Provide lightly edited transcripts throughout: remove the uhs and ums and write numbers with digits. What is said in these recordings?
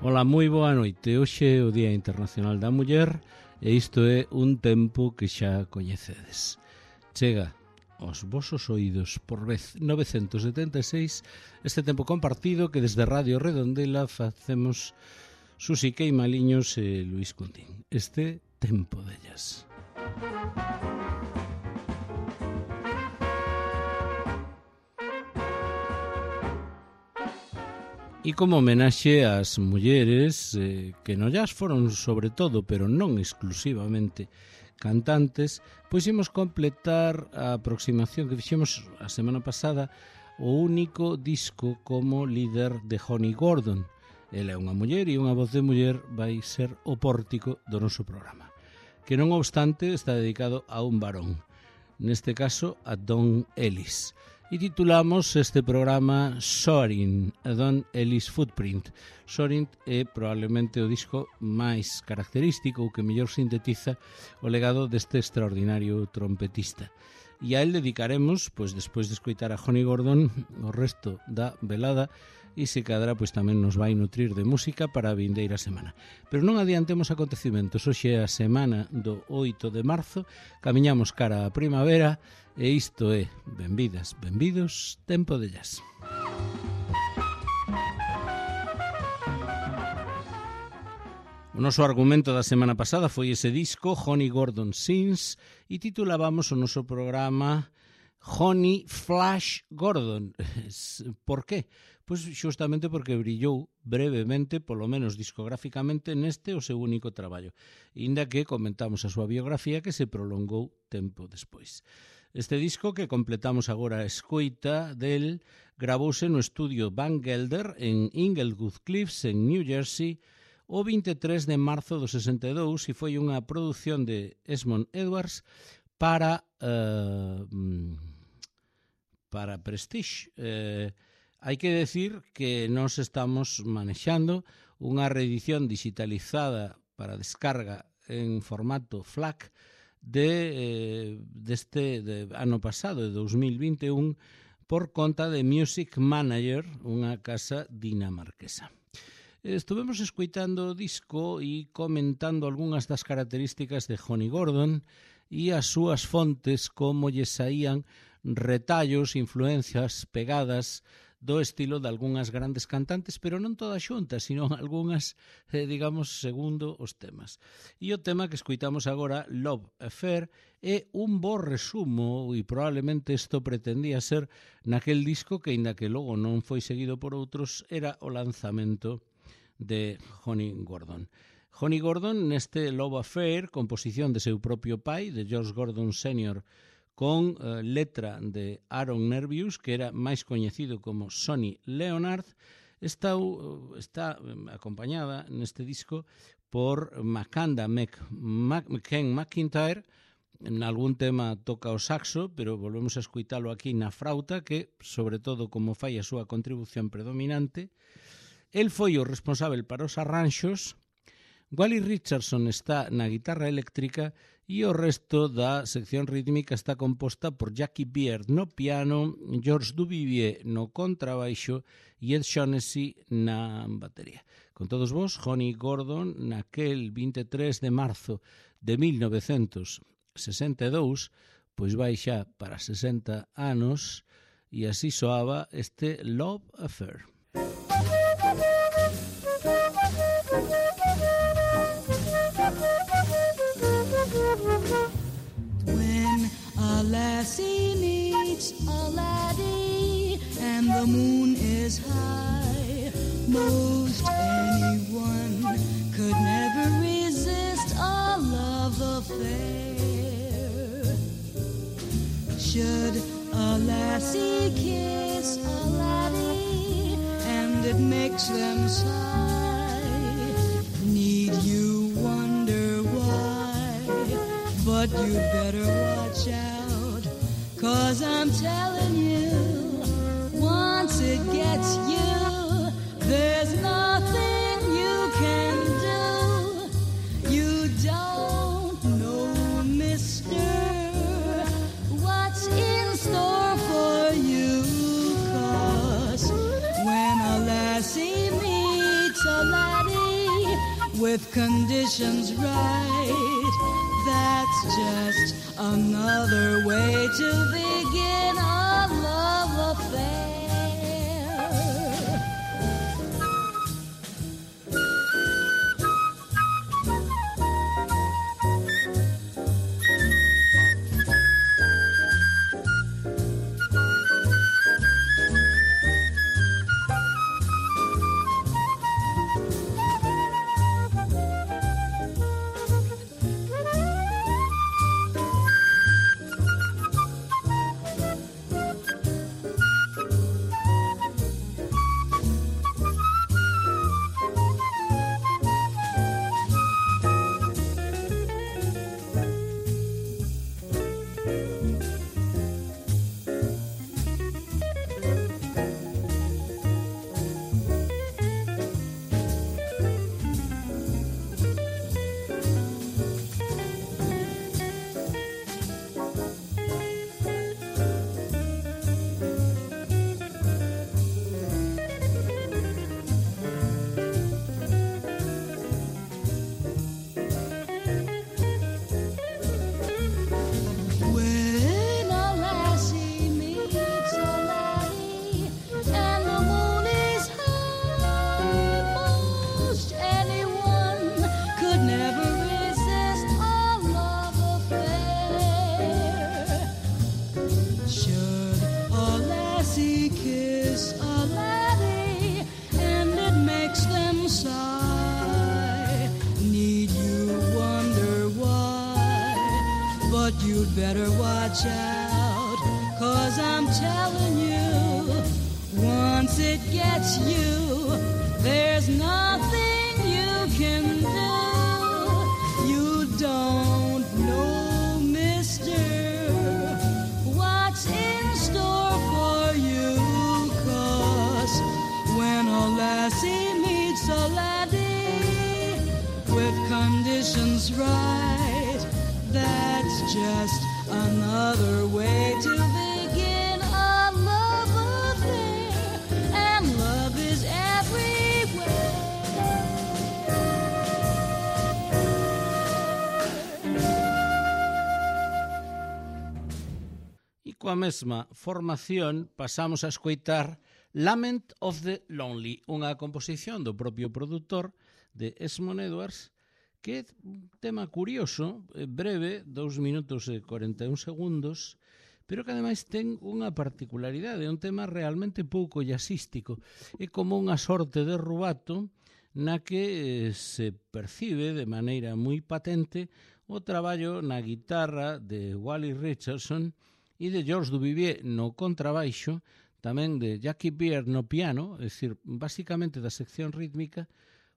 Ola, moi boa noite. Hoxe é o Día Internacional da Muller e isto é un tempo que xa coñecedes. Chega aos vosos oídos por vez 976 este tempo compartido que desde Radio Redondela facemos Susi Queimaliños e Luis Cundín. Este tempo dellas. E como homenaxe ás mulleres que non llas foron sobre todo, pero non exclusivamente, cantantes, pois imos completar a aproximación que fixemos a semana pasada o único disco como líder de Honey Gordon. Ela é unha muller e unha voz de muller vai ser o pórtico do noso programa, que non obstante está dedicado a un varón, neste caso a Don Ellis. E titulamos este programa Soaring, a Don Ellis Footprint. Soaring é probablemente o disco máis característico ou que mellor sintetiza o legado deste extraordinario trompetista. E a él dedicaremos, pois despois de escoitar a Honey Gordon, o resto da velada e se cadra pois tamén nos vai nutrir de música para a vindeira semana. Pero non adiantemos acontecimentos. Hoxe é a semana do 8 de marzo, camiñamos cara á primavera e isto é, benvidas, benvidos, tempo de jazz. O noso argumento da semana pasada foi ese disco, Honey Gordon Sings, e titulábamos o noso programa Honey Flash Gordon. Por qué? Pois xustamente porque brillou brevemente, polo menos discográficamente, neste o seu único traballo, inda que comentamos a súa biografía que se prolongou tempo despois. Este disco que completamos agora a escoita del gravouse no estudio Van Gelder en Inglewood Cliffs, en New Jersey, o 23 de marzo do 62 e foi unha produción de Esmond Edwards para Prestige. Hai que decir que nós estamos manexando unha reedición digitalizada para descarga en formato FLAC deste ano pasado, de 2021, por conta de Music Manager, unha casa dinamarquesa. Estuvemos escoitando o disco e comentando algunhas das características de Honey Gordon e as súas fontes, como lle saían retallos, influencias, pegadas do estilo de algunhas grandes cantantes, pero non todas xuntas, sino algunhas, digamos, segundo os temas. E o tema que escoitamos agora, Love Affair, é un bo resumo, e probablemente isto pretendía ser naquel disco que, inda que logo non foi seguido por outros, era o lanzamento de Honey Gordon. Honey Gordon, neste Love Affair, composición de seu propio pai, de George Gordon Sr., con letra de Aaron Nervius, que era máis coñecido como Sonny Leonard, está acompañada neste disco por Makanda Ken McIntyre. En algún tema toca o saxo, pero volvemos a escoitalo aquí na frauta, que, sobre todo, como fai a súa contribución predominante. El foi o responsável para os arranxos. Wally Richardson está na guitarra eléctrica e o resto da sección rítmica está composta por Jackie Beard no piano, George Duvivier no contrabaixo e Ed Shaughnessy na batería. Con todos vos, Honey Gordon, naquel 23 de marzo de 1962, pois vai xa para 60 anos, e así soaba este Love Affair. When a lassie meets a laddie and the moon is high, most anyone could never resist a love affair. Should a lassie kiss a laddie and it makes them sigh, need you wonder why? But you'd better watch out, 'cause I'm telling you, once it gets you, there's nothing you can do. You don't know, mister, what's in store for you, 'cause when a lassie meets a laddie, conditions right. That's just another way to begin a love affair. You'd better watch out, 'cause I'm telling you, once it gets you, there's nothing you can do. You don't know, mister, what's in store for you, 'cause when a lassie meets a laddie with conditions right, that's just another way to begin a love affair, and love is everywhere. E coa mesma formación pasamos a escoitar Lament of the Lonely, unha composición do propio produtor de Esmond Edwards, que é un tema curioso, breve, 2 minutos e 41 segundos, pero que ademais ten unha particularidade, é un tema realmente pouco jazzístico. É como unha sorte de rubato na que se percibe de maneira moi patente o traballo na guitarra de Wally Richardson e de George Duvivier no contrabaixo, tamén de Jackie Beard no piano, é dicir, basicamente da sección rítmica,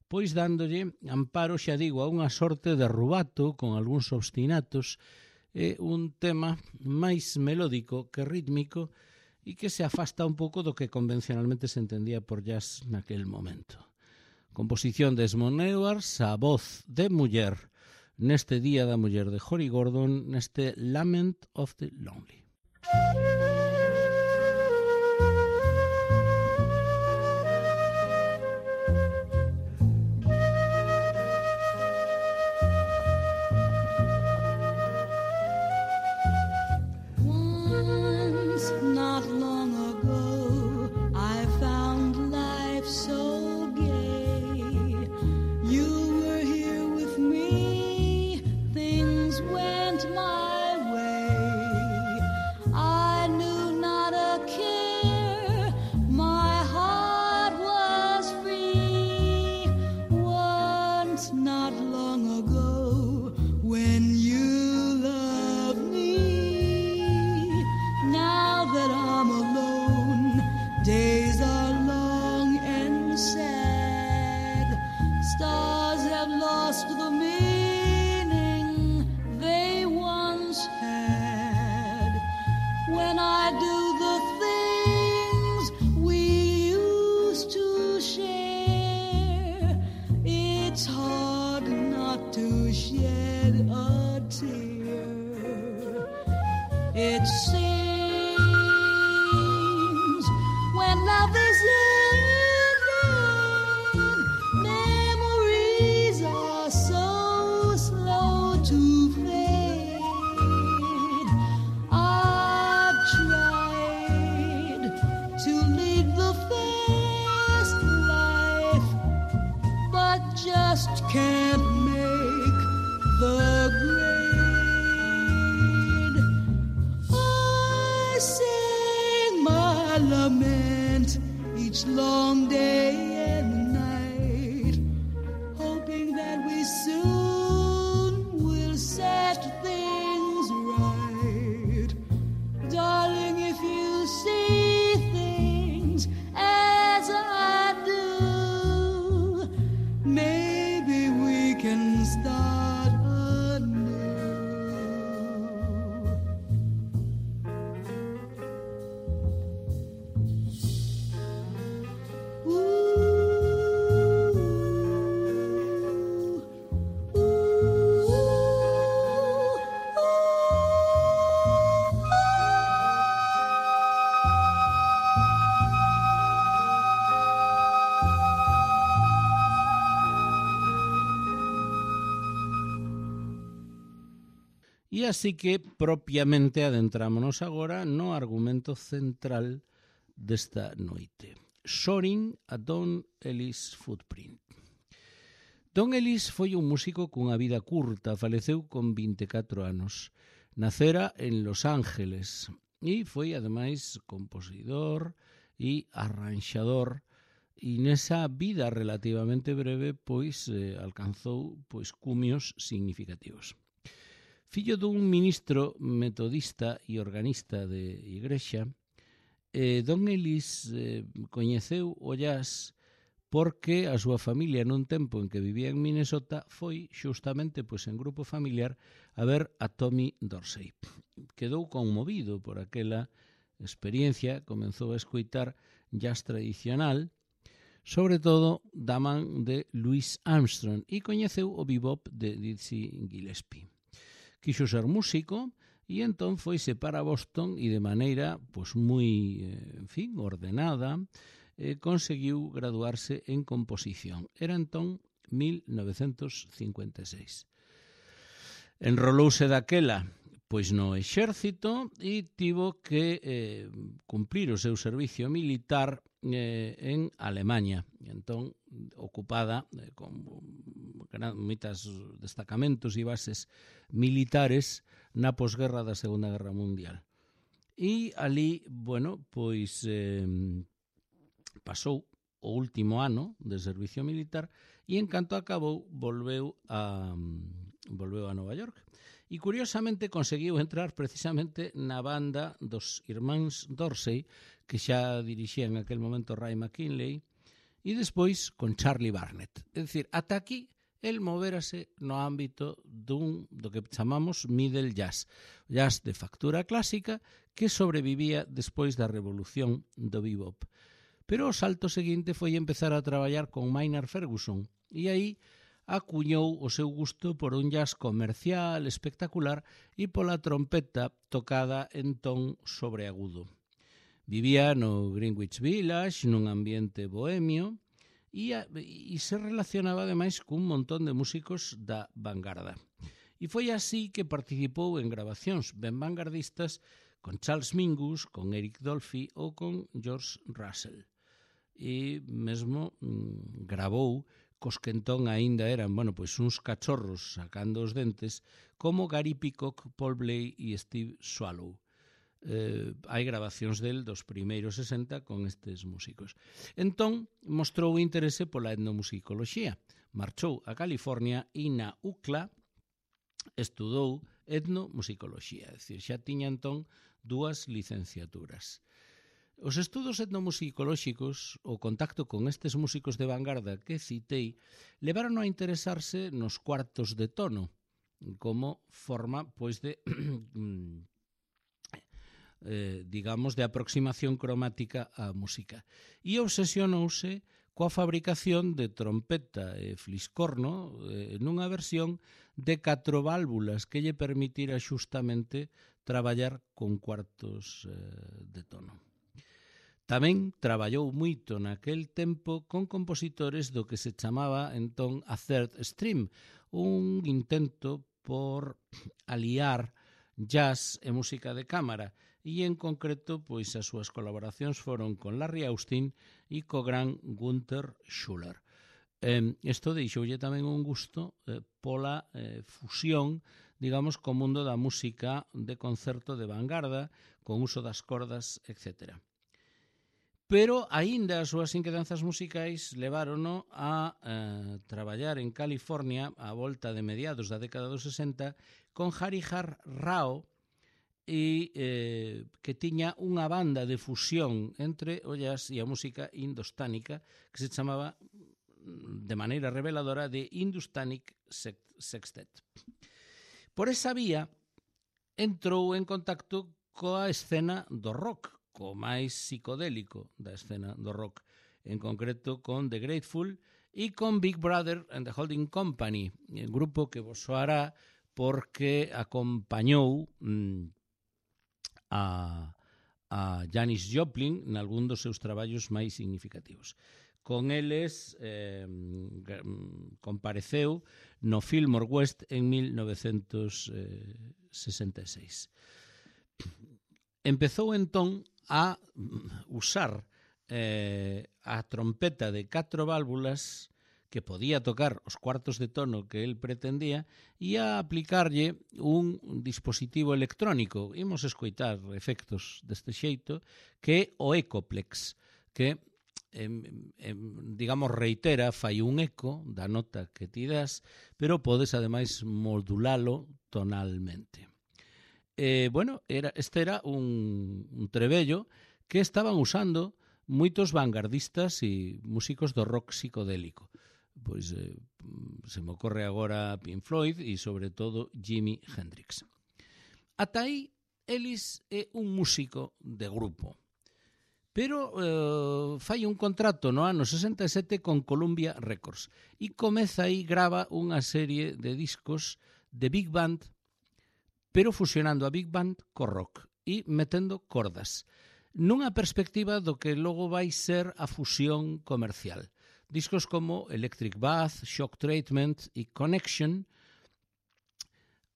pois dándolle amparo, xa digo, a unha sorte de rubato con algúns obstinatos, é un tema máis melódico que rítmico e que se afasta un pouco do que convencionalmente se entendía por jazz naquel momento. Composición de Esmond Edwards, a voz de muller, neste Día da Muller de Jory Gordon, neste Lament of the Lonely. It seems when love is ended, memories are best things right. Darling, if you see things as I do, maybe we can start anew. E así que propiamente adentrámonos agora no argumento central desta noite. Soaring a Don Ellis Footprint. Don Ellis foi un músico cunha vida curta, faleceu con 24 anos. Nacera en Los Ángeles e foi, ademais, compositor e arranxador, e nesa vida relativamente breve pois alcanzou cumios significativos. Fillo dun ministro metodista e organista de igrexa, Don Ellis coñeceu o jazz porque a súa familia nun tempo en que vivía en Minnesota foi xustamente en grupo familiar a ver a Tommy Dorsey. Quedou conmovido por aquela experiencia, comenzou a escoitar jazz tradicional, sobre todo da man de Louis Armstrong, e coñeceu o bebop de Dizzy Gillespie. Quixo ser músico e entón foise para Boston e de maneira moi, ordenada, conseguiu graduarse en composición. Era entón 1956. Enrolouse daquela no exército e tivo que cumplir o seu servicio militar en Alemanha. Entón, ocupada con moitos destacamentos e bases militares na posguerra da Segunda Guerra Mundial. E ali, pasou o último ano de servicio militar e en canto acabou volveu a Nova York. E curiosamente conseguiu entrar precisamente na banda dos irmáns Dorsey, que xa dirixía en aquel momento Ray McKinley, e despois con Charlie Barnett. É dicir, ata aquí el moverase no ámbito do que chamamos middle jazz, jazz de factura clásica que sobrevivía despois da revolución do bebop. Pero o salto seguinte foi empezar a traballar con Maynard Ferguson e aí acuñou o seu gusto por un jazz comercial, espectacular e pola trompeta tocada en ton sobreagudo. Vivía no Greenwich Village, nun ambiente bohemio, e se relacionaba ademais cun montón de músicos da vanguarda. E foi así que participou en grabacións ben vanguardistas con Charles Mingus, con Eric Dolphy ou con George Russell. E mesmo gravou cos que entón aínda eran, uns cachorros sacando os dentes, como Gary Peacock, Paul Bley e Steve Swallow. Hai grabacións del dos primeiros 60 con estes músicos. Entón, mostrou interese pola etnomusicoloxía. Marchou a California e na UCLA estudou etnomusicoloxía. É dicir, xa tiña entón 2 licenciaturas. Os estudos etnomusicolóxicos, o contacto con estes músicos de vanguarda que citei, levaron a interesarse nos cuartos de tono, como forma, de aproximación cromática á música. E obsesionouse coa fabricación de trompeta e fliscorno nunha versión de 4 válvulas que lle permitira xustamente traballar con cuartos de tono. Tamén traballou moito naquel tempo con compositores do que se chamaba entón a third stream, un intento por aliar jazz e música de cámara, e en concreto as súas colaboracións foron con Larry Austin e co gran Gunther Schuller. Isto deixoulle tamén un gusto pola fusión, digamos, co mundo da música de concerto de vanguarda, con uso das cordas, etc. Pero aínda as súas inquedanzas musicais levárono a traballar en California a volta de mediados da década dos 60 con Harihar Rao, e que tiña unha banda de fusión entre o jazz e a música indostánica que se chamaba de maneira reveladora de Hindustanic Sextet. Por esa vía entrou en contacto coa escena do rock, co máis psicodélico da escena do rock, en concreto con The Grateful e con Big Brother and the Holding Company, un grupo que vos soará porque acompañou a Janis Joplin nalgún dos seus traballos máis significativos. Con eles compareceu no Fillmore West en 1966. Empezou entón a usar a trompeta de 4 válvulas que podía tocar os cuartos de tono que el pretendía e a aplicarlle un dispositivo electrónico. Imos escoitar efectos deste xeito, que é o Ecoplex, que digamos reitera, fai un eco da nota que ti das, pero podes ademais modulalo tonalmente. Este era un trebello que estaban usando moitos vanguardistas e músicos do rock psicodélico. Pois se me ocorre agora Pink Floyd e sobre todo Jimi Hendrix. Ata aí, Ellis é un músico de grupo, pero fai un contrato no ano 67 con Columbia Records e comeza aí, grava unha serie de discos de Big Band, pero fusionando a Big Band co rock e metendo cordas, nunha perspectiva do que logo vai ser a fusión comercial. Discos como Electric Bath, Shock Treatment e Connection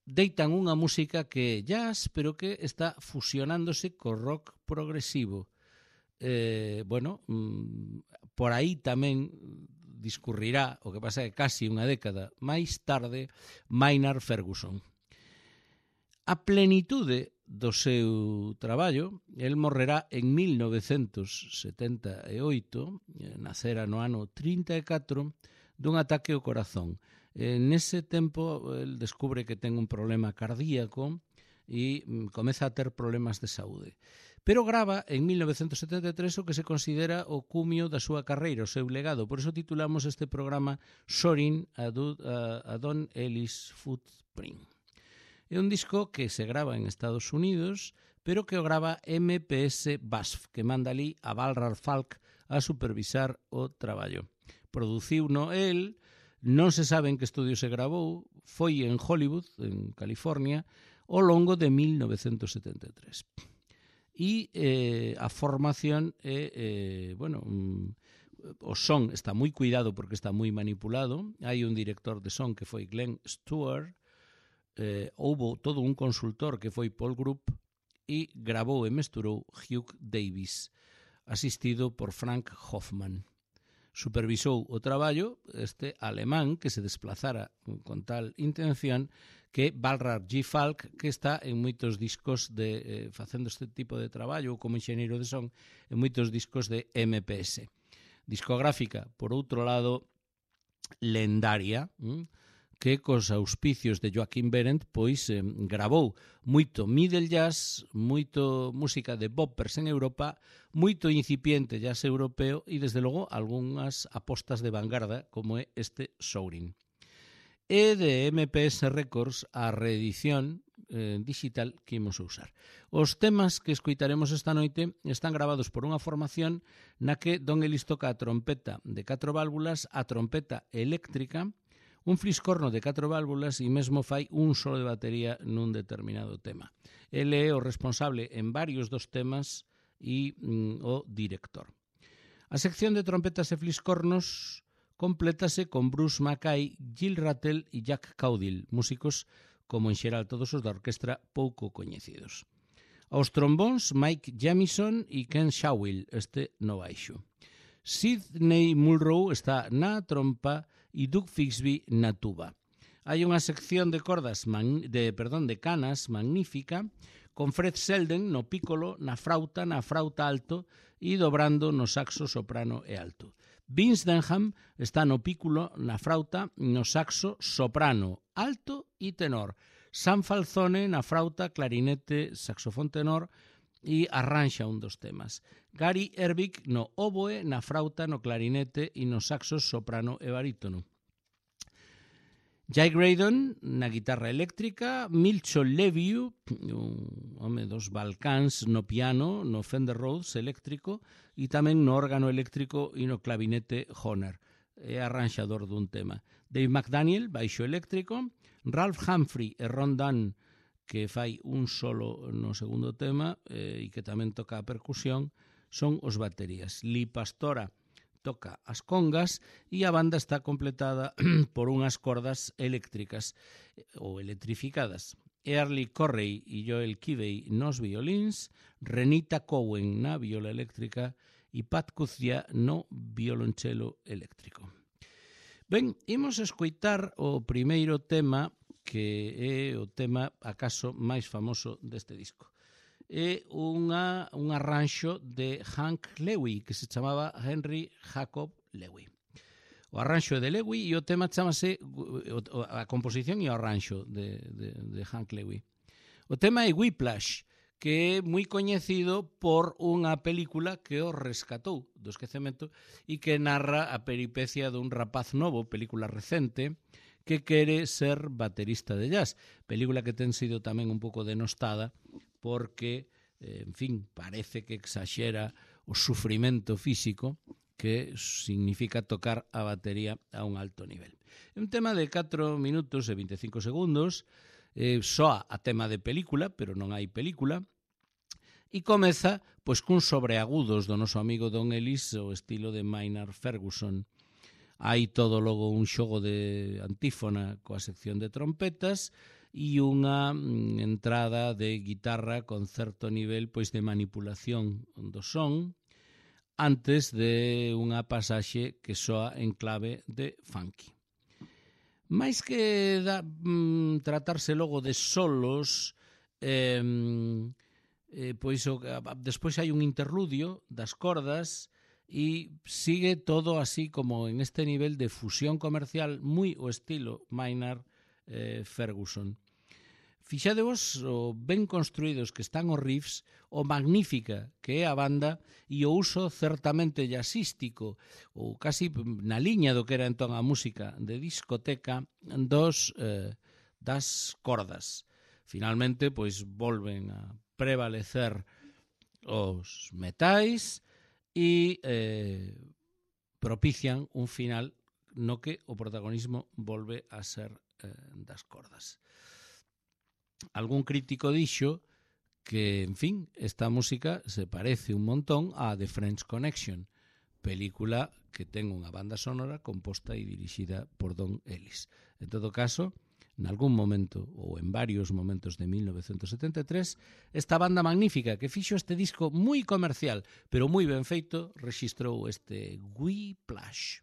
deitan unha música que é jazz, pero que está fusionándose co rock progresivo. Por aí tamén discurrirá, o que pasa é casi unha década máis tarde, Maynard Ferguson. A plenitude do seu traballo, el morrerá en 1978, nacera no ano 34, dun ataque ao corazón. Nese tempo, el descubre que ten un problema cardíaco e comeza a ter problemas de saúde. Pero grava en 1973 o que se considera o cumio da súa carreira, o seu legado. Por iso titulamos este programa Soaring a Don Ellis Footprint. É un disco que se grava en Estados Unidos, pero que o grava MPS BASF, que manda ali a Balrar Falk a supervisar o traballo. Produciuno el, non se sabe en que estudio se gravou, foi en Hollywood, en California, ao longo de 1973. E a formación é, o son está moi cuidado porque está moi manipulado. Hai un director de son que foi Glenn Stewart, houbo todo un consultor que foi Paul Group e gravou e mesturou Hugh Davis, asistido por Frank Hoffman. Supervisou o traballo este alemán que se desplazara con tal intención, que é Balrar G. Falk, que está en moitos discos facendo este tipo de traballo como enxeñeiro de son en moitos discos de MPS. Discográfica, por outro lado, lendaria, que cos auspicios de Joaquín Berendt pois gravou moito middle jazz, moito música de boppers en Europa, moito incipiente jazz europeo e desde logo algunhas apostas de vanguarda como é este Soaring. E de MPS Records a reedición digital que imos usar. Os temas que escoitaremos esta noite están gravados por unha formación na que Don Ellis toca a trompeta de 4 válvulas, a trompeta eléctrica, un fliscorno de 4 válvulas e mesmo fai un solo de batería nun determinado tema. Ele é o responsable en varios dos temas e o director. A sección de trompetas e fliscornos complétase con Bruce Mackay, Gil Rattle e Jack Caudill, músicos como en xeral todos os da orquestra pouco coñecidos. Aos trombóns, Mike Jamison e Ken Shawill, este no baixo. Sidney Mulrow está na trompa e Doug Fixby na tuba. Hai unha sección de cordas de canas magnífica, con Fred Selden no pícolo, na frauta alto e dobrando no saxo soprano e alto. Vince Denham está no pícolo, na frauta, no saxo soprano, alto e tenor. Sam Falzone na frauta, clarinete, saxofón tenor e arranxa un dos temas. Gary Ervik no oboe, na frauta, no clarinete e nos saxos soprano e barítono. Jay Graydon na guitarra eléctrica, Milcho Leviu, un home dos Balcáns, no piano, no Fender Rhodes eléctrico e tamén no órgano eléctrico e no clavinete Hohner. É arranxador dun tema. Dave McDaniel, baixo eléctrico, Ralph Humphrey e Ron Dunn, que fai un solo no segundo tema e que tamén toca a percusión, son os baterías. Lee Pastora toca as congas e a banda está completada por unhas cordas eléctricas ou electrificadas. Early Correy e Joel Kivey nos violíns, Renita Cowen na viola eléctrica e Pat Cuzia no violonchelo eléctrico. Ben, imos escoitar o primeiro tema, que é o tema acaso máis famoso deste disco. É un arranxo de Hank Lewis, que se chamaba Henry Jacob Lewis. O arranxo é de Lewis e o tema chamase, a composición e o arranxo de Hank Lewis. O tema é Whiplash, que é moi coñecido por unha película que o rescatou do esquecemento e que narra a peripecia dun rapaz novo, película recente, que quere ser baterista de jazz. Película que ten sido tamén un pouco denostada porque, en fin, parece que exaxera o sufrimento físico que significa tocar a batería a un alto nivel. É un tema de 4 minutos e 25 segundos, soa a tema de película, pero non hai película, e comeza pois cun sobreagudos do noso amigo Don Ellis, o estilo de Maynard Ferguson. Hai todo logo un xogo de antífona coa sección de trompetas e unha entrada de guitarra con certo nivel pois de manipulación do son antes de unha pasaxe que soa en clave de funky. Mais que tratarse logo de solos, pois despois hai un interludio das cordas e sigue todo así como en este nivel de fusión comercial moi o estilo Maynard Ferguson. Fixadevos o ben construídos que están os riffs, o magnífica que é a banda e o uso certamente jazzístico ou casi na liña do que era entón a música de discoteca das cordas. Finalmente, pois volven a prevalecer os metais e propician un final no que o protagonismo volve a ser das cordas. Algún crítico dixo que, en fin, esta música se parece un montón á The French Connection, película que ten unha banda sonora composta e dirixida por Don Ellis. En todo caso, en algún momento, ou en varios momentos de 1973, esta banda magnífica que fixo este disco moi comercial, pero moi ben feito, rexistrou este Whiplash.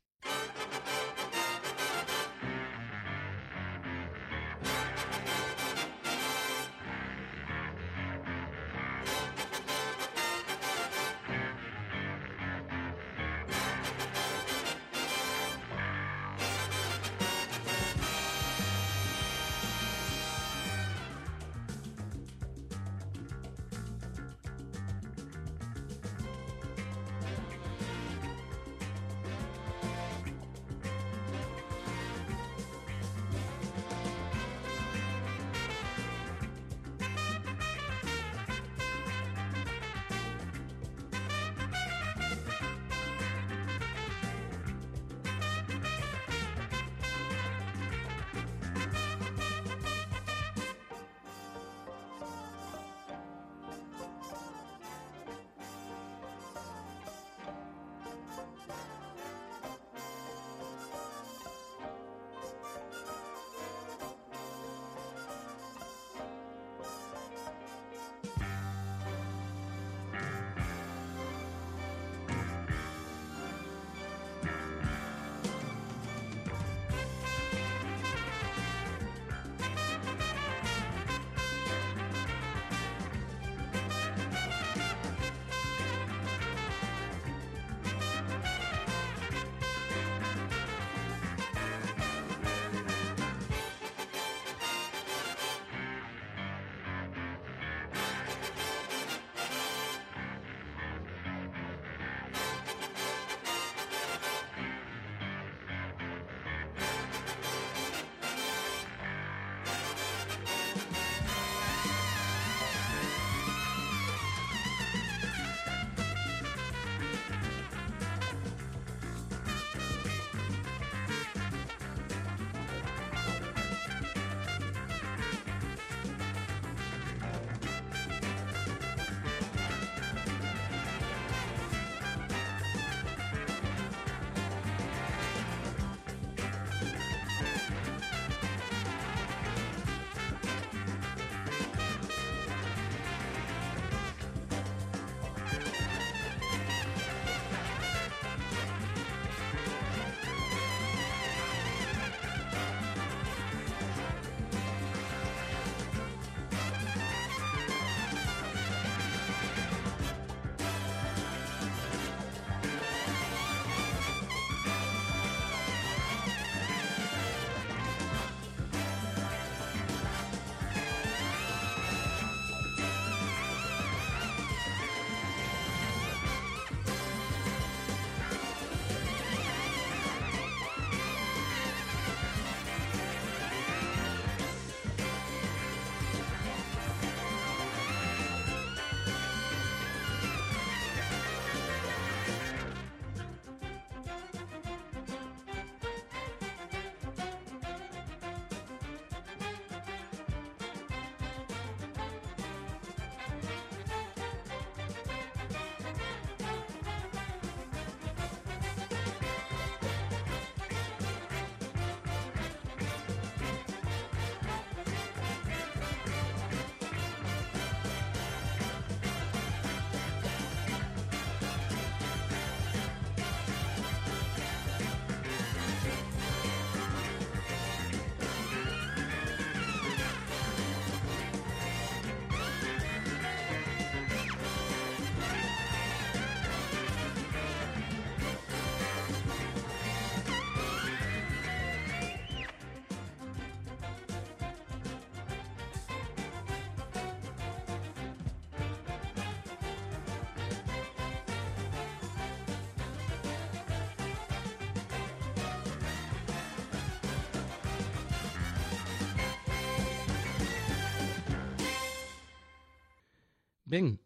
Ben,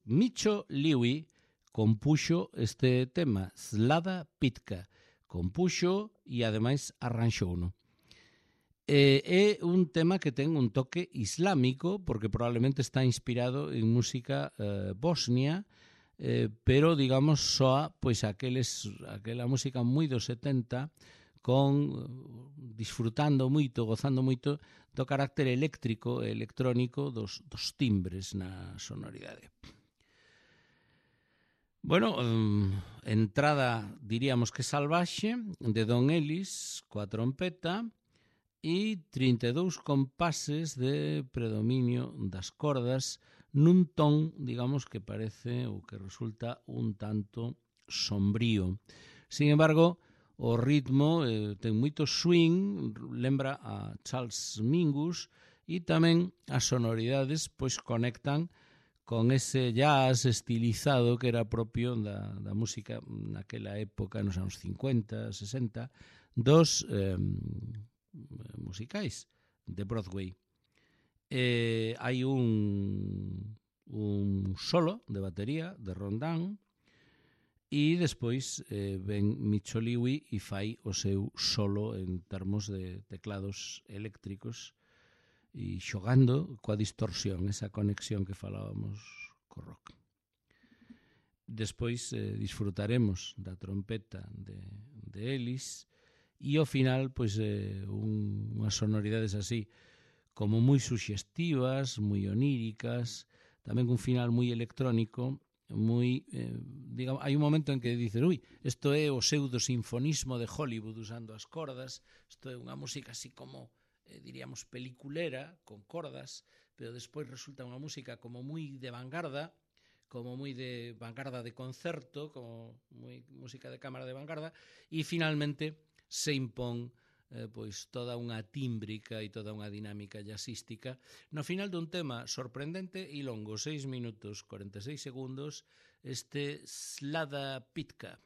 Micho Lewy compuxo este tema, Slada Pitka. Compuxo e ademais arranxouno. É un tema que ten un toque islámico, porque probablemente está inspirado en música bosnia, pero, digamos, soa pois aquela música moi dos 70 disfrutando moito, gozando moito do carácter eléctrico e electrónico dos timbres na sonoridade. Bueno, entrada, diríamos que salvaxe, de Don Ellis, coa trompeta, e 32 compases de predominio das cordas nun ton, digamos, que parece ou que resulta un tanto sombrío. Sin embargo, o ritmo ten moito swing, lembra a Charles Mingus, e tamén as sonoridades pois conectan con ese jazz estilizado que era propio da música naquela época, nos anos 50, 60, dos musicais de Broadway. Hai un solo de batería de Rondán e despois ven Micho Lewy e fai o seu solo en termos de teclados eléctricos e xogando coa distorsión, esa conexión que falábamos co rock. Despois disfrutaremos da trompeta de Ellis e ao final pois unhas sonoridades así como moi suxestivas, moi oníricas, tamén un final moi electrónico, moi digamos, hai un momento en que dices, ui, isto é o pseudo-sinfonismo de Hollywood usando as cordas, isto é unha música así como diríamos peliculera, con cordas, pero despois resulta unha música como moi de vanguarda, como moi de vanguarda de concerto, como moi música de cámara de vanguarda, e finalmente se impón pois toda unha tímbrica e toda unha dinámica jazzística no final dun tema sorprendente e longo, 6 minutos 46 segundos, este Slada Pitka.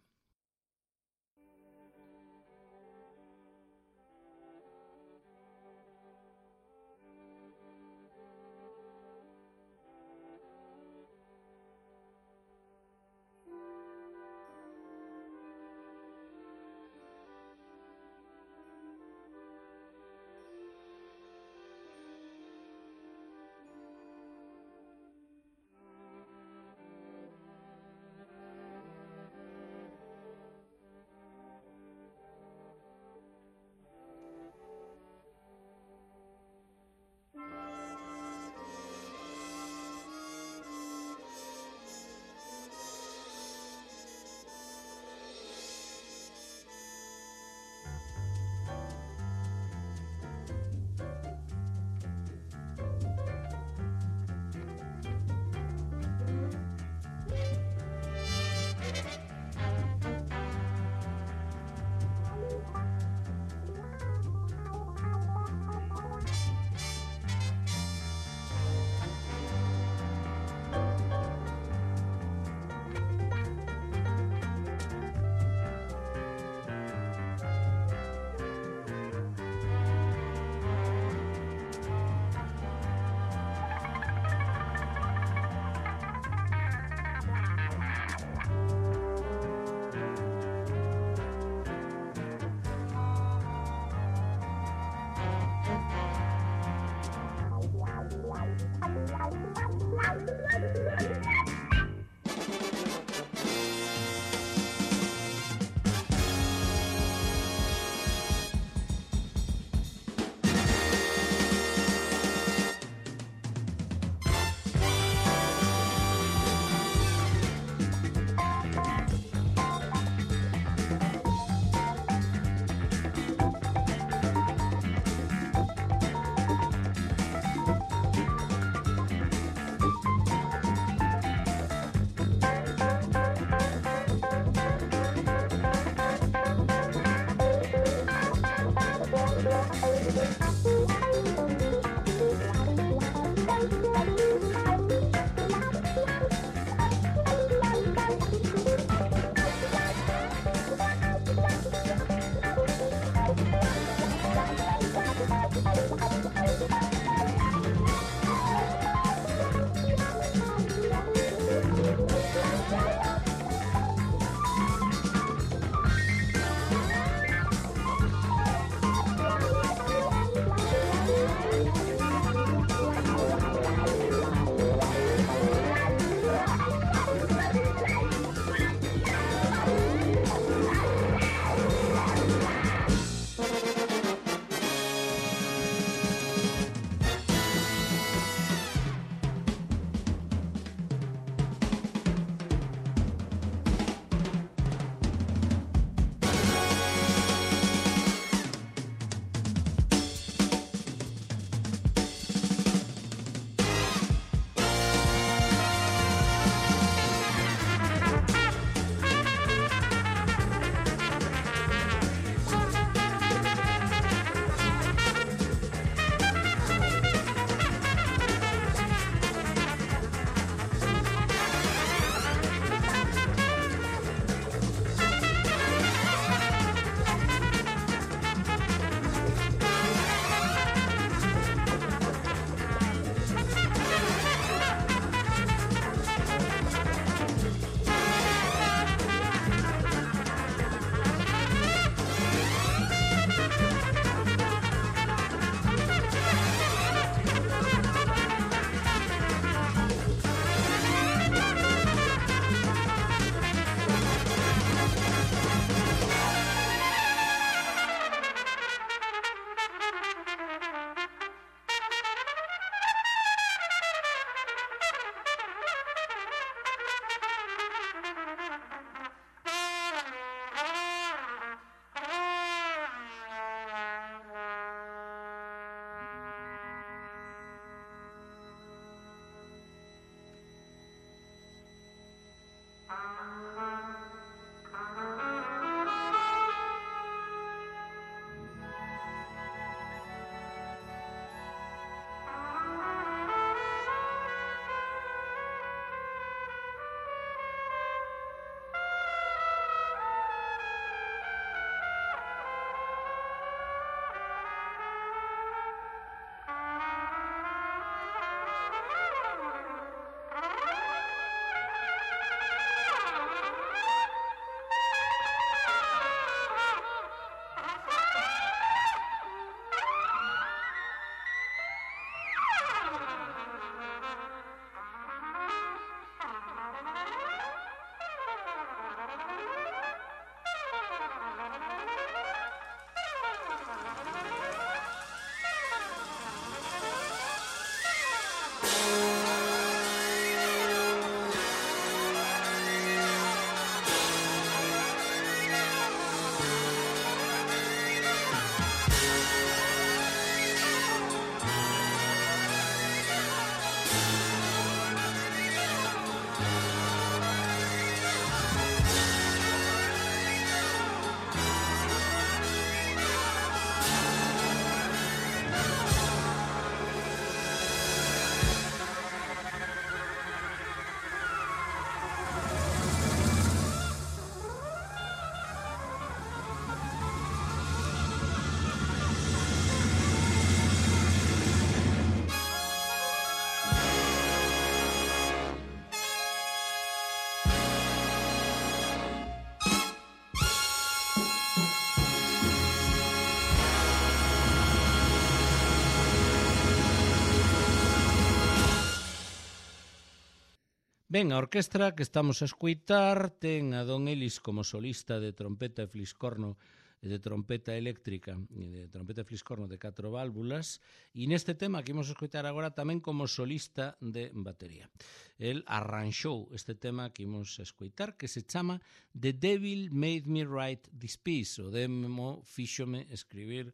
Ben, a orquestra que estamos a escuitar ten a Don Ellis como solista de trompeta e fliscorno e de trompeta eléctrica e de trompeta e fliscorno de 4 válvulas e neste tema que imos a escuitar agora tamén como solista de batería. El arranxou este tema que imos a escuitar que se chama The Devil Made Me Write This Piece, o demo fíxome escribir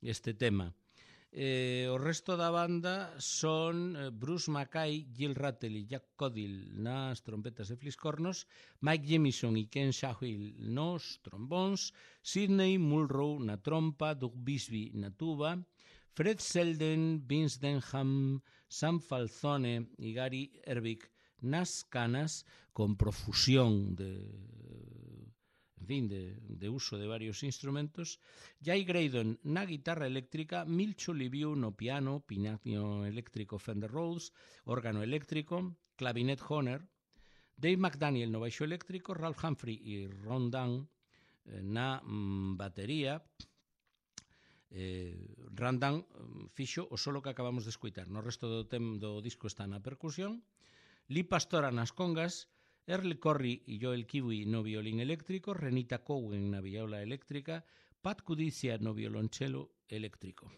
este tema. O resto da banda son Bruce Mackay, Gil Rattle e Jack Codill nas trompetas e fliscornos, Mike Jemison e Ken Shahill nos trombóns, Sidney Mulrow na trompa, Doug Bisbee na tuba, Fred Selden, Vince Denham, Sam Falzone e Gary Ervik nas canas, con profusión de uso de varios instrumentos, Jay Graydon na guitarra eléctrica, Milcho Liviu no piano, piano eléctrico Fender Rhodes, órgano eléctrico, clavinet Hohner, Dave McDaniel no baixo eléctrico, Ralph Humphrey e Ron Dunn na batería. Ron Dunn fixo o solo que acabamos de escuitar, no resto do disco está na percusión, Lee Pastora nas congas, Earl Corry e Joel Kiwi no violín eléctrico, Renita Cowen na viola eléctrica, Pat Cudizia no violonchelo eléctrico.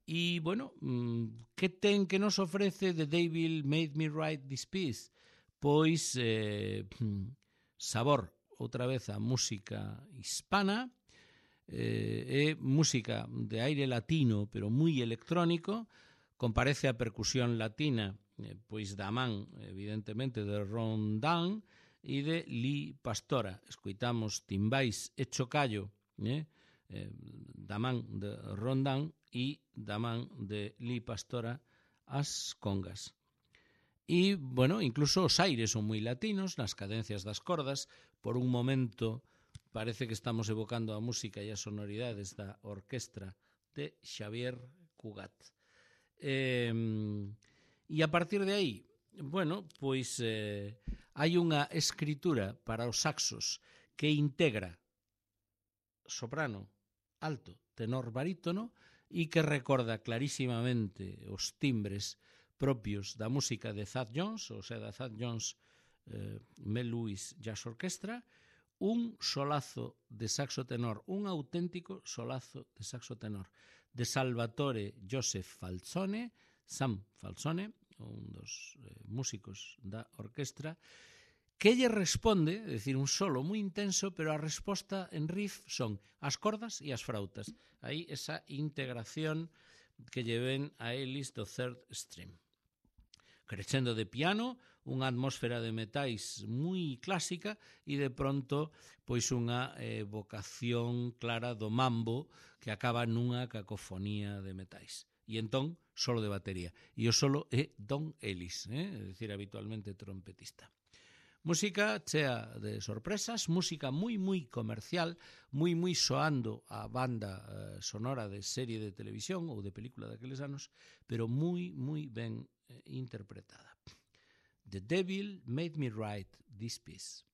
E, bueno, que nos ofrece The Devil Made Me Write This Piece? Pois sabor, outra vez a música hispana, é música de aire latino, pero moi electrónico, comparece a percusión latina, pois da man, evidentemente, de Ron Dunn e de Lee Pastora. Escoitamos timbais e chocallo da man de Ron Dunn e da man de Lee Pastora as congas. E, bueno, incluso os aires son moi latinos, nas cadencias das cordas. Por un momento parece que estamos evocando a música e as sonoridades da orquestra de Xavier Cugat. E a partir de aí, bueno, pois hai unha escritura para os saxos que integra soprano, alto, tenor, barítono e que recorda clarísimamente os timbres propios da música de Thad Jones, ou sea, da Thad Jones Mel Lewis Jazz Orchestra, un solazo de saxo tenor, un auténtico solazo de saxo tenor de Salvatore Joseph Falzone, Sam Falzone, un dos músicos da orquestra, que lle responde, é dicir, un solo moi intenso, pero a resposta en riff son as cordas e as frautas. Aí esa integración que lle ven a Ellis do third stream. Crescendo de piano, unha atmósfera de metais moi clásica e de pronto pois unha vocación clara do mambo que acaba nunha cacofonía de metais. E entón, solo de batería. E o solo é Don Ellis, é dicir, habitualmente trompetista. Música chea de sorpresas, música moi comercial, moi soando a banda sonora de serie de televisión ou de película daqueles anos, pero moi ben interpretada. The Devil Made Me Write This Piece.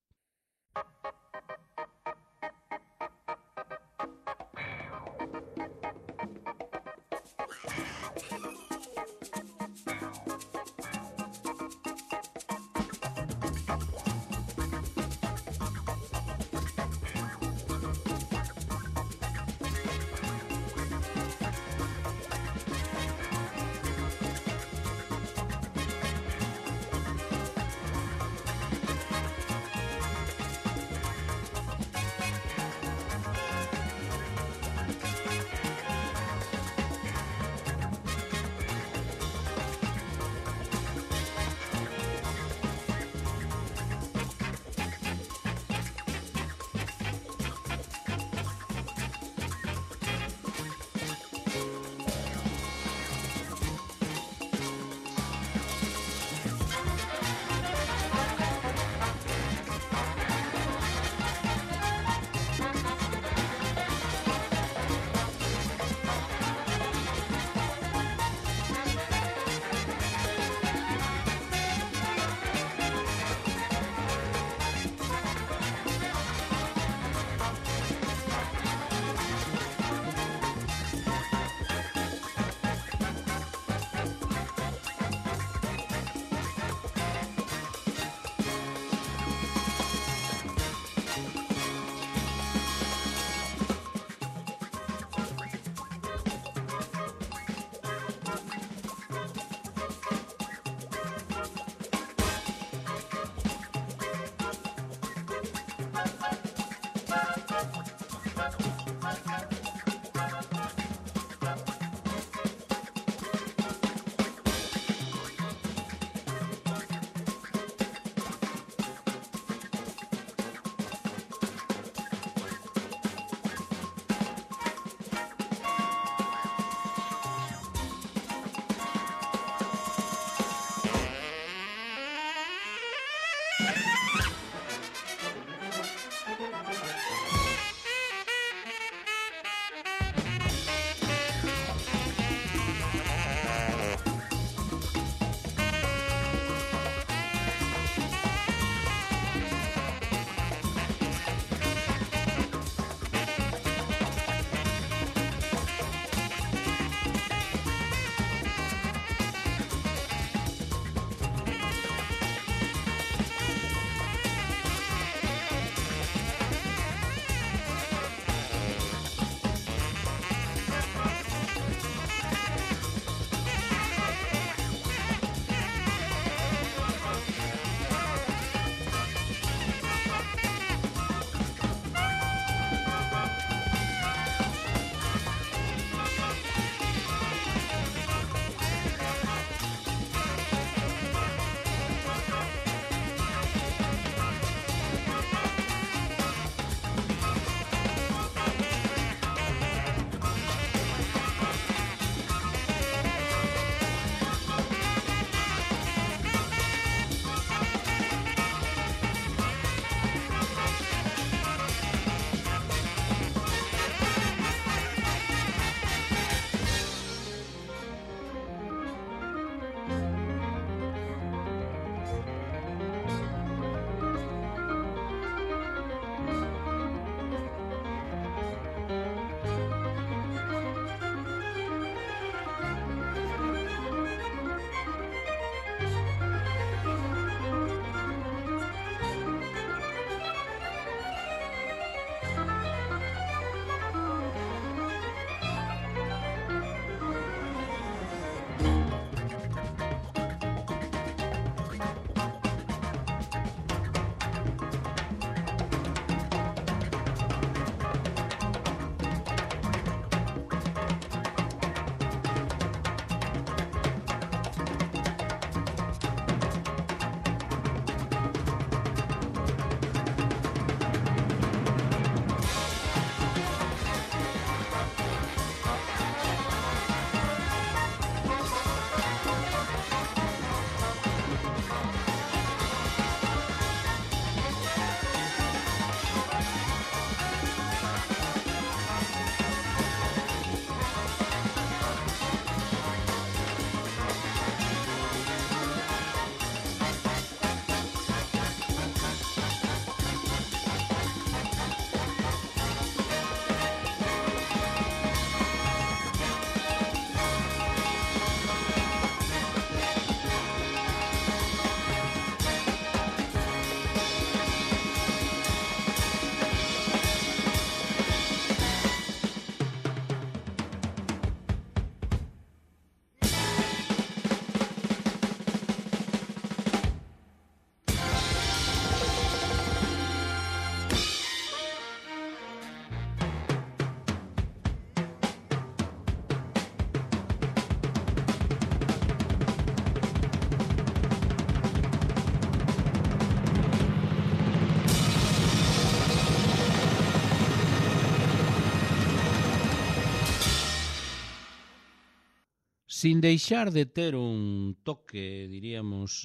Sin deixar de ter un toque, diríamos,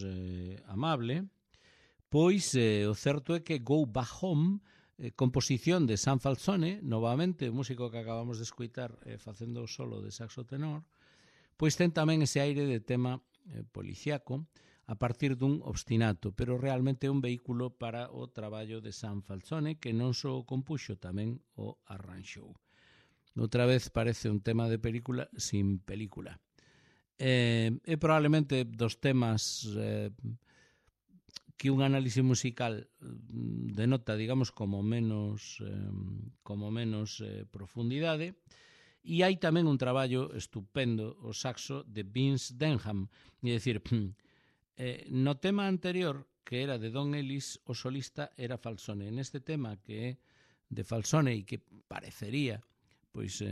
amable, pois o certo é que Go Back Home, composición de Sam Falzone, novamente, o músico que acabamos de escoitar facendo o solo de saxo tenor, pois ten tamén ese aire de tema policiaco a partir dun obstinato, pero realmente é un vehículo para o traballo de Sam Falzone, que non só o compuxo, tamén o arranxou. Outra vez parece un tema de película sin película. É probablemente dos temas que un análise musical denota, digamos, como menos profundidade, e hai tamén un traballo estupendo, o saxo de Vince Denham, é dicir, no tema anterior, que era de Don Ellis, o solista era Falzone. Neste tema, que é de Falzone e que parecería pois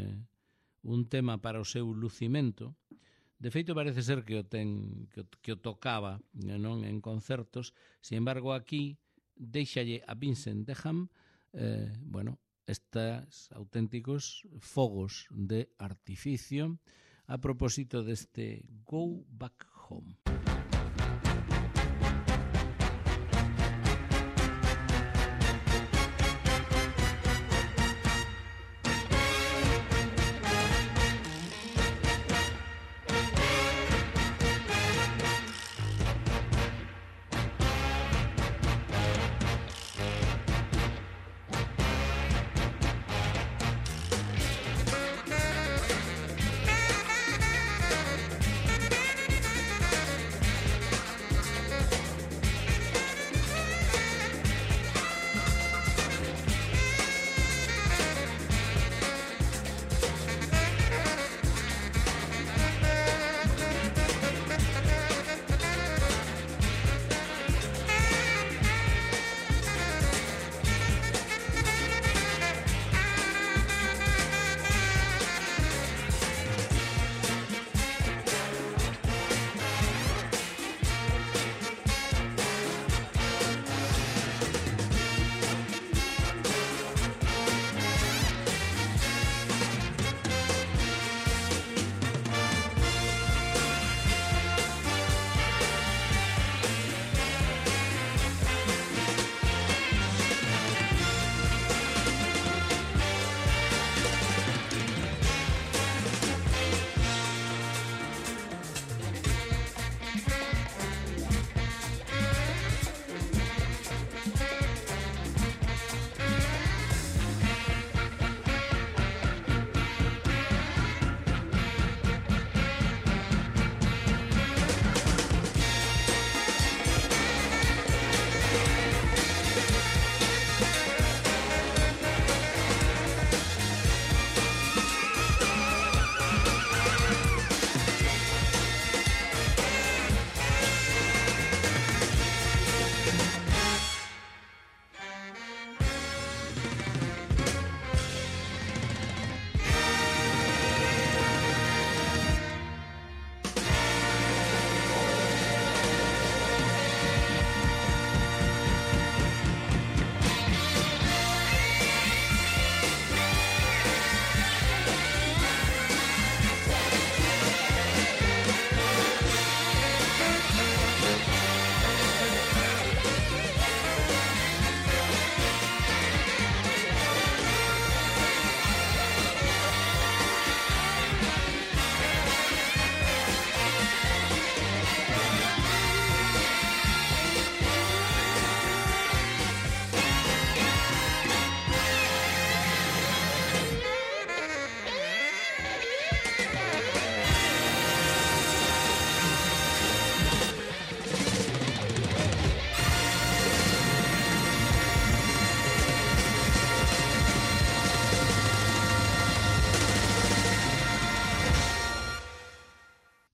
un tema para o seu lucimento, de feito parece ser que o tocaba, non, en concertos. Sin embargo, aquí deixalle a Vincent Denham estes auténticos fogos de artificio a propósito deste Go Back Home.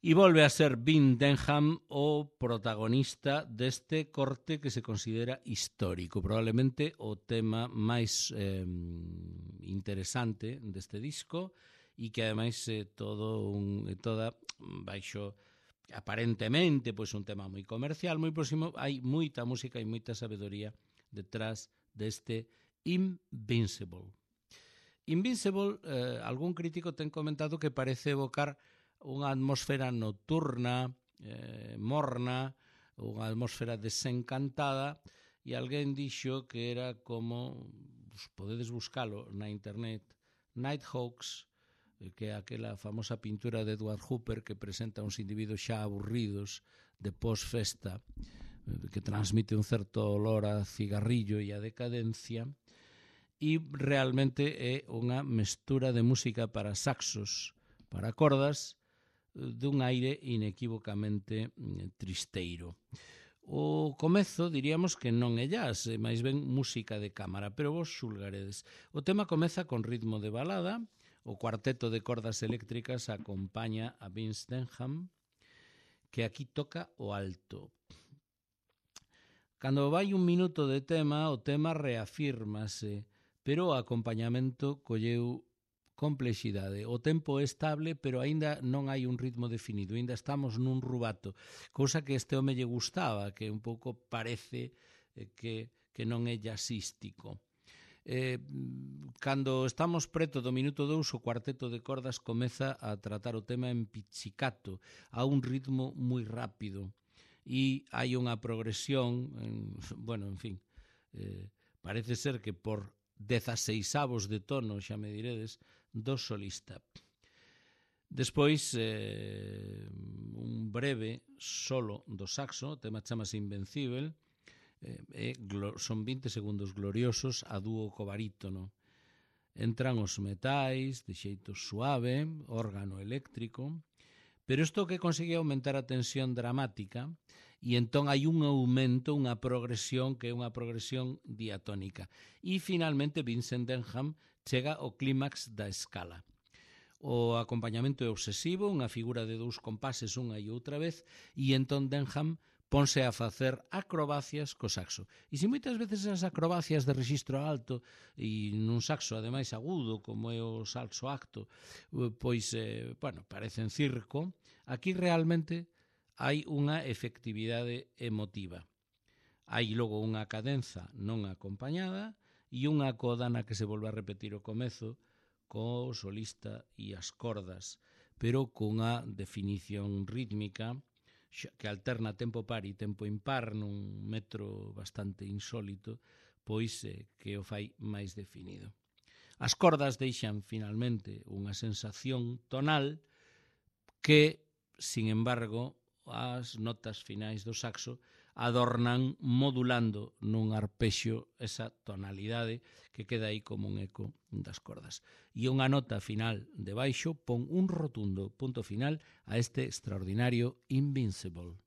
E volve a ser Vin Denham o protagonista deste corte que se considera histórico, probablemente o tema máis interesante deste disco, e que ademais toda baixo aparentemente pois un tema moi comercial, moi próximo, hai moita música e moita sabedoría detrás deste Invincible. Invincible, algún crítico ten comentado que parece evocar unha atmosfera nocturna, morna, unha atmosfera desencantada, e alguén dixo que era como, podedes buscalo na internet, Nighthawks, que é aquela famosa pintura de Edward Hopper que presenta uns individuos xa aburridos de pós-festa, que transmite un certo olor a cigarrillo e a decadencia, e realmente é unha mestura de música para saxos, para cordas, dun aire inequívocamente tristeiro. O comezo diríamos que non é jazz, é máis ben música de cámara, pero vos xulgaredes. O tema comeza con ritmo de balada, o cuarteto de cordas eléctricas acompaña a Vince Denham, que aquí toca o alto. Cando vai un minuto de tema, o tema reafírmase, pero o acompañamento colleu complexidade. O tempo é estable, pero aínda non hai un ritmo definido, aínda estamos nun rubato, cousa que este home lle gustaba, que un pouco parece que non é jazzístico. Cando estamos preto do minuto 2, o cuarteto de cordas comeza a tratar o tema en pizzicato, a un ritmo moi rápido, e hai unha progresión, parece ser que por 16avos de tono, xa me diredes, do solista. Despois, un breve solo do saxo, o tema chamase Invencible, son 20 segundos gloriosos a dúo co barítono. Entran os metais de xeito suave, órgano eléctrico, pero isto que consegue aumentar a tensión dramática, e entón hai un aumento, unha progresión que é unha progresión diatónica. E finalmente Vincent Denham chega ao clímax da escala. O acompañamento é obsesivo, unha figura de 2 compases unha e outra vez, e entón Denham ponse a facer acrobacias co saxo. E se moitas veces as acrobacias de rexistro alto e nun saxo ademais agudo, como é o salso acto, pois, parecen circo, aquí realmente hai unha efectividade emotiva. Hai logo unha cadenza non acompañada e unha coda na que se volve a repetir o comezo co solista e as cordas, pero cunha definición rítmica que alterna tempo par e tempo impar nun metro bastante insólito, pois que o fai máis definido. As cordas deixan finalmente unha sensación tonal que, sin embargo, as notas finais do saxo adornan modulando nun arpexo esa tonalidade que queda aí como un eco das cordas. E unha nota final de baixo pon un rotundo punto final a este extraordinario Invincible.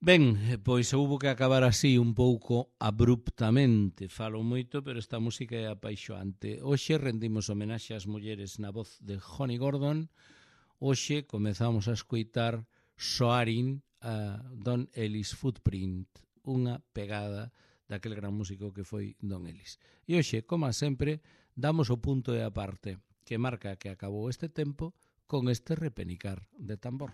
Ben, pois houbo que acabar así un pouco abruptamente. Falo moito, pero esta música é apaixoante. Hoxe rendimos homenaxe ás mulleres na voz de Johnny Gordon. Hoxe comezamos a escoitar Soaring a Don Ellis Footprint, unha pegada daquel gran músico que foi Don Ellis. E hoxe, como sempre, damos o punto e a parte que marca que acabou este tempo con este repenicar de tambor.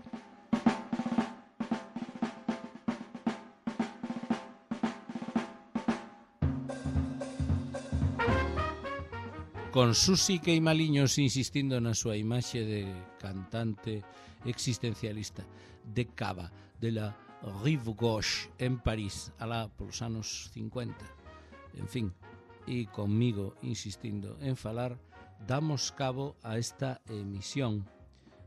Con Susi Queimaliños insistindo na súa imaxe de cantante existencialista de Cava, de la Rive Gauche en París, alá polos anos 50. En fin, e comigo insistindo en falar, damos cabo a esta emisión.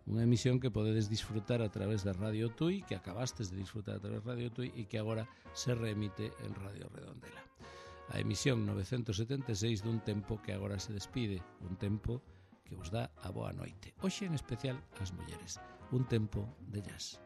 Unha emisión que podedes disfrutar a través de Radio Tui, que acabastes de disfrutar a través de Radio Tui e que agora se remite en Radio Redondela. A emisión 976 dun tempo que agora se despide, un tempo que vos dá a boa noite. Hoxe en especial ás mulleres, un tempo de jazz.